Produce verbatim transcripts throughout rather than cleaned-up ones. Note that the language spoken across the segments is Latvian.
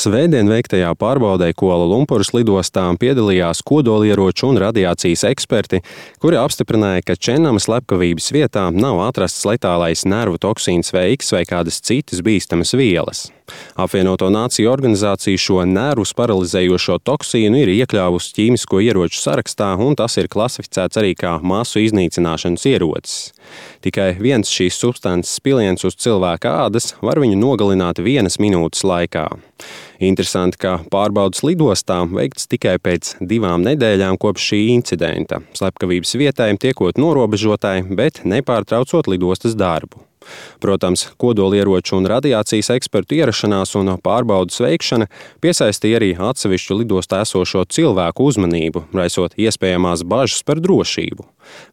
Svētdien veiktajā pārbaudē Kuala Lumpuras lidostā piedalījās kodolieroču un radiācijas eksperti, kuri apstiprināja, ka Čennamas slepkavības vietā nav atrasts letālais nervu toksīns V X vai kādas citas bīstamas vielas. Apvienoto Nāciju organizācija šo nervus paralizējošo toksīnu ir iekļāvusi ķīmisko ieroču sarakstā, un tas ir klasificēts arī kā masu iznīcināšanas ierocis. Tikai viens šīs substances piliens uz cilvēka ādas var viņu nogalināt vienas minūtes laikā. Interesanti, ka pārbaudas lidostā veikts tikai pēc divām nedēļām kopš šī incidenta, slepkavības vietai tiekot norobežotai, bet nepārtraucot lidostas darbu. Protams, kodolieroču un radiācijas ekspertu ierašanās un pārbaudas veikšana piesaistīja arī atsevišķu lidostā esošo cilvēku uzmanību, raisot iespējamās bažas par drošību.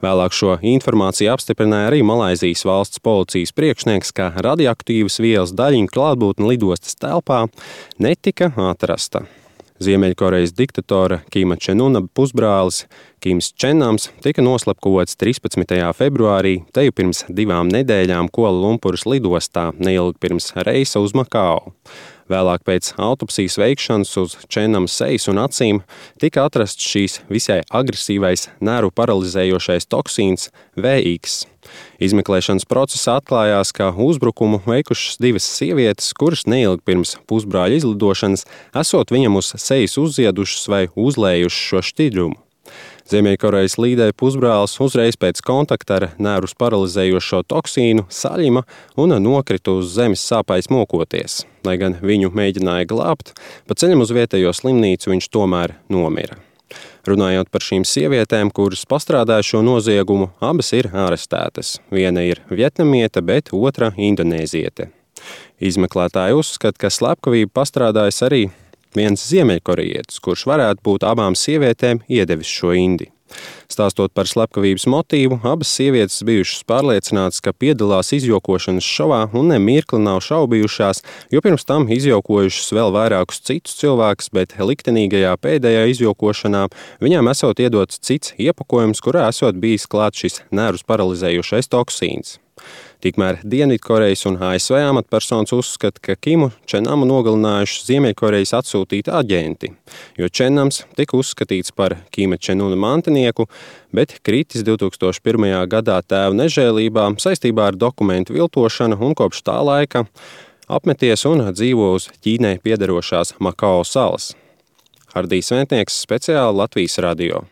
Vēlāk šo informāciju apstiprināja arī Malaizijas valsts policijas priekšnieks, ka radioaktīvas vielas daļiņu klātbūtne lidostas telpā netika atrasta. Ziemeļkorejas diktatora Kima Čen Una pusbrālis Kims Čennams tika noslepkavots trīspadsmitajā februārī, te jau pirms divām nedēļām Kuala Lumpuras lidostā, neilgi pirms reisa uz Makao. Vēlāk pēc autopsijas veikšanas uz Čennama sejas un acīm tika atrasts šīs visai agresīvais nervu paralizējošais toksīns V X. Izmeklēšanas procesā atklājās, ka uzbrukumu veikušas divas sievietes, kuras neilgi pirms pusbrāļa izlidošanas esot viņam uz sejas uzziedušas vai uzlējušas šo šķidrumu. Ziemeļkorejas līdera pusbrālis uzreiz pēc kontakta ar nervus paralizējošo toksīnu saļima un nokrita uz zemes sāpēs mokoties. Lai gan viņu mēģināja glābt, pa ceļam uz vietējo slimnīcu viņš tomēr nomira. Runājot par šīm sievietēm, kuras pastrādāja šo noziegumu, abas ir arestētas. Viena ir vietnamiete, bet otra indonēziete. Izmeklētāji uzskata, ka slepkavību pastrādājis arī viens ziemeļkorejietis, kurš varētu būt abām sievietēm iedevis šo indi. Stāstot par slepkavības motīvu, abas sievietes bijušas pārliecinātas, ka piedalās izjokošanas šovā un ne mirkli nav šaubījušās, jo pirms tam izjokojušas vēl vairākus citus cilvēkus, bet liktenīgajā pēdējā izjokošanā viņām esot iedots cits iepakojums, kurā esot bijis klāt šis nervus paralizējošais toksīns. Tikmēr Dienvidkorejas un A S V amatpersonas uzskata, ka Kimu Čennamu nogalinājuši Ziemeļkorejas atsūtīti aģenti, jo Čennams tika uzskatīts par Kima Čen Una mantinieku, bet kritis divtūkstoš pirmajā gadā tēva nežēlībā saistībā ar dokumentu viltošanu un kopš tā laika apmeties un dzīvo uz Ķīnai piederošās Makao salas. Hardijs Ventnieks, speciāli Latvijas radio.